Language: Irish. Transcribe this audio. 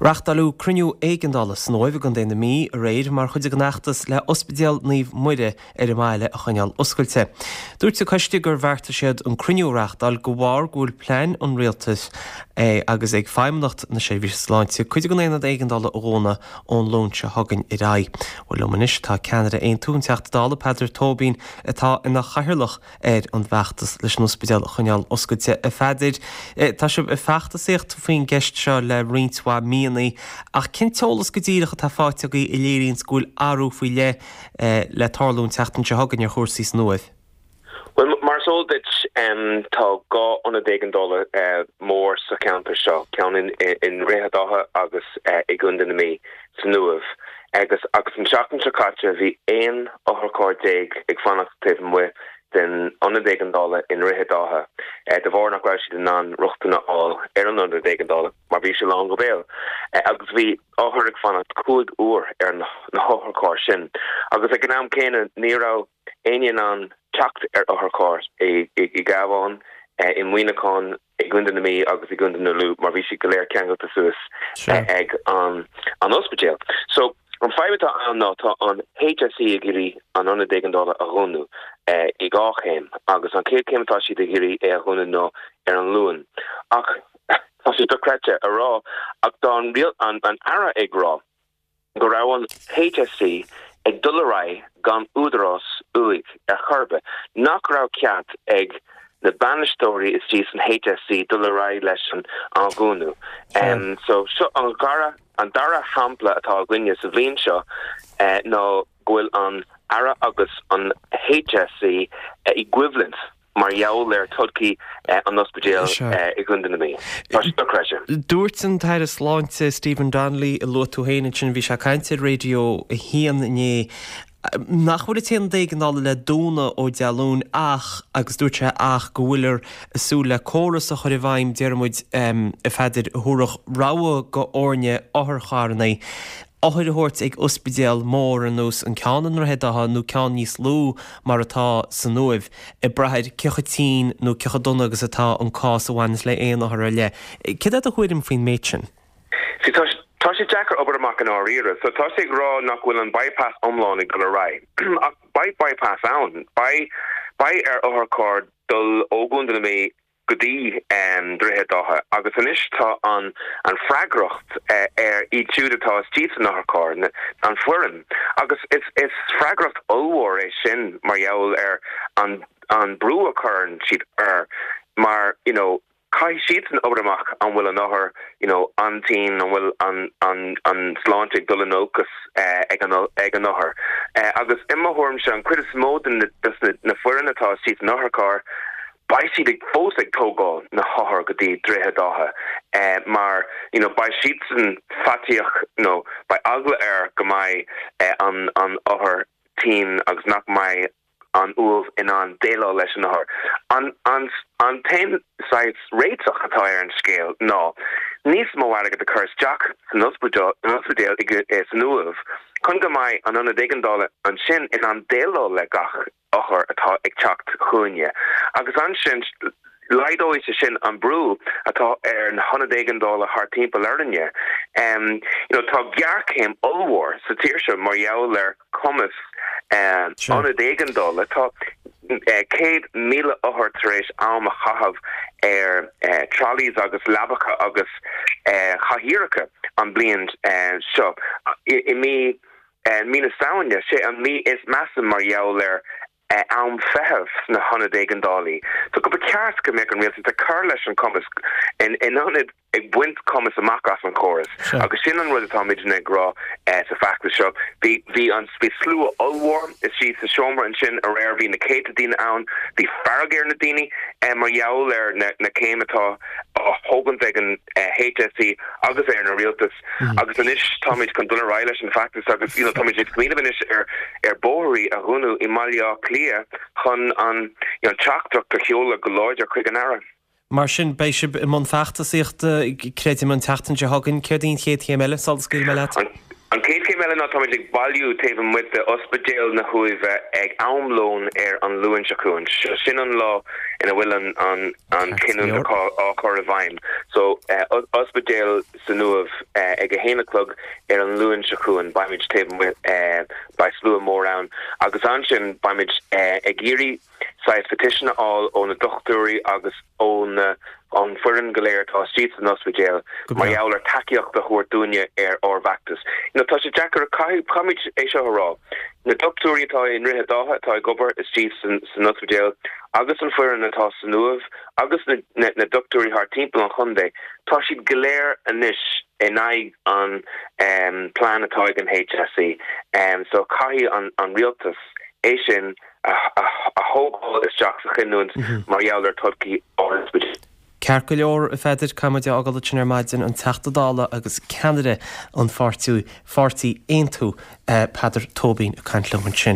Reáchtáileadh cruinniú éigeandála san Uaimh i gContae na Mí aréir mar chuid den fheachtas le Ospidéal Naomh Muire ar an mbaile a choinneáil oscailte. Dúirt an coiste gur bheartaigh siad an cruinniú a reáchtáil de bharr go bhfuil plean an Rialtais agus ag Feidhmeannacht na Seirbhíse Sláinte cuid den aonad éigeandála a dhúnadh ón Luan seo chugainn ar aghaidh. Bhuel liom anois tá ceannaire Aontú, an Teachta Dála Peadar Tóibín atá ina chathaoirleach ar an bhfeachtas leis an ospidéal a choinneáil oscailte. A Pheadair, tá sibh ag feachtasaíocht faoin gceist seo le roinnt mhaith míonna, ach cén t-eolas go díreach atá faighte agaibh a léiríonns go bhfuil athrú faoi leith le tarlú an tseachtain seo chugainn ar chúrsaí san Uaimh? Bhuel, mar is eol duit, tá 2 ionad éigeandála mór sa cheantar seo, ceann i nDroichead Átha agus i gContae na Mí, san Uaimh. Agus agus an tseachtain seo caite bhí 11 otharcharr ag fanacht taobh amuigh den ionad éigeandála i nDroichead Átha de bharr nach raibh siad in ann rochtain a fháil ar an ionad éigeandála mar bhí sé lán go béal. Agus bhí othair ag fanacht 5 uair ar na hotharchairr sin. Agus ag an am céanna ní raibh éinne in ann teacht ar otharcharr i gCabhán, i Muineachán, i gContae na Mí agus i gContae na Lú mar bhí siad go léir ceangailte suas ag an ospidéal. So, an fadhb atá ann ná tá an HSE ag iarraidh an ionad éigeandála a dhúnadh i dhá chéim agus an chéad chéim atá siad ag iarraidh é a dhúnadh ná ar an Luan. Ach tá sé dochreidte a rá ach tá an an Aire ag rá go raibh an HSE ag dul ar aghaidh gan údarás uaidh ar chor ar bith, nach raibh cead ag na bainisteoirí istigh san HSE dul ar aghaidh leis an dhúnadh. So seo an dara an dara shampla atá againne sa bhliain seo ná go bhfuil an Aire agus an HSE i gcoimhlint. mar gheall ar todhchaí an ospidéil i gContae na Mí. Tá sé dochreidte. Dúirt an tAire Sláinte Stephen Donnelly, a luaigh tú féin ansin, bhí sé ag caint ar Raidió 1 inné, nach bhfuil an t-aonad éigeandála le dúnadh ó Dé Luain ach, agus dúirt sé ach, go bhfuiltear ag súil le córas a chur i bhfeidhm, déarfaidh muid, a Pheadair, a thabharfadh rogha go fhoirne otharcharranna othair a thabhairt ag ospidéal mór ar nós an ceann i nDroichead Átha nó ceann níos lú mar atá san Uaimh, ag brath ar cé chomh tinn nó cé chomh dona agus atá an cás a bhaineas le aon othar ar leith. Céard é do thuairim faoin méid sin? See, tá, tá sé deacair obair amach i ndáiríre. So tá sé ag rá nach bhfuil an bypass iomlán ag dul ar aghaidh. Ach beidh bypass ann. Beidh, beidh ar otharcharr dul ó Chontae na Mí go dtí Droichead Átha agus anois tá an an freagracht ar iad siúd atá istigh san otharcharr, an foireann, agus is is freagracht ollmhór é sin mar gheall ar an an brú a chuireann siad air mar you know caithfidh siadsan obair amach an bhfuil an othar you know an-tinn, an bhfuil an an an sláinte ag dul in olcas ag an ag an othar agus i mo thuairimse an cuid is mó de na na foireann atá istigh san otharcharr Beidh siad ag fós ag tógáil na hothair go dtí Droichead Átha mar you know beidh siadsan faitíoch nó beidh eagla air go mbeidh an an othar tinn agus nach mbeidh an Uaimh in ann déileáil leis an othar. An an an t-aon saghas réiteach atá ar an scéal ná níos mó airgead a chur isteach san ospidéal san Uaimh chun go mbeidh an ionad éigeandála ansin in ann déileáil le gach othar atá ag teacht chugainne agus ansin laghdóidh sé sin an brú atá ar na hionaid éigeandála thart timpeall orainne. You know tá géarchéim ollmhór sa tír seo mar gheall ar chumas ionad éigeandála. Tá 100,000 othar tar éis am a chaitheamh ar trolleys agus leabacha agus cathaoireacha an bliain seo. I mí Mí na Samhna, sé an mí is measa mar gheall ar am feithimh sna hionaid éigeandálaí. So go ba cheart go mbeadh an rialtas ag cur leis an cumas in ionad ag baint cumas amach as an chóras. Agus sin an rud atáimidne ag rá sa feachtas seo. Bhí bhí an bhí slua ollmhór istigh sa seomra ansin aréir, bhí na céadta daoine ann, bhí fearg ar na daoine mar gheall ar na na céim atá á thógaint ag an HSE agus ar an rialtas. Agus anois táimid chun dul ar aghaidh leis an bhfeachtas agus you know táimid ag smaoineamh anois ar ar bóithrí a dhúnadh i mBaile Átha Cliath chun an you know teachtaireacht a sheoladh go láidir chuig an Aire. Mar sin, beidh sibh i mbun feachtasaíochta, creidim, an tseachtain seo chugainn. Céard í an chéad chéim eile sula scaoilfidh mé leat? An chéad chéim eile ná táimid ag bailiú taobh amuigh de Ospidéal na hUaimhe ag am lóin ar an Luan seo chugainn. Sin an lá ina bhfuil an an cinniúint á chur i bhfeidhm. So Ospidéal san Uaimh ag a haon a chlog ar an Luan seo chugainn beimid taobh amuigh, beidh slua mór ann agus ansin beimid ag iarraidh saghas petition a fháil ó na dochtúirí agus ó na an foireann go léir atá istigh san ospidéal mar gheall ar tacaíocht a thabhairt dúinne ar ár bhfeachtas. You know, tá sé deacair, caithfidh, caithfimid é seo a rá, na dochtúirí atá i nDroichead Átha atá ag obair istigh san, san ospidéal agus an foireann atá san Uaimh agus na, na, na dochtúirí thart timpeall an chontae, tá siad go léir anois in aghaidh an um, plean atá ag an HSE. Um, so caithfidh an, an rialtas é sin a thógáil isteach sa chinniúint mar gheall ar todhchaí ár n-ospidéal. Ceart go leor, a Pheadair, caithfidh muid é a fhágáil ansin ar maidin, an Teachta Dála agus ceannaire an pháirtí, pháirtí Aontú, Peadar Tóibín ag caint liom ansin.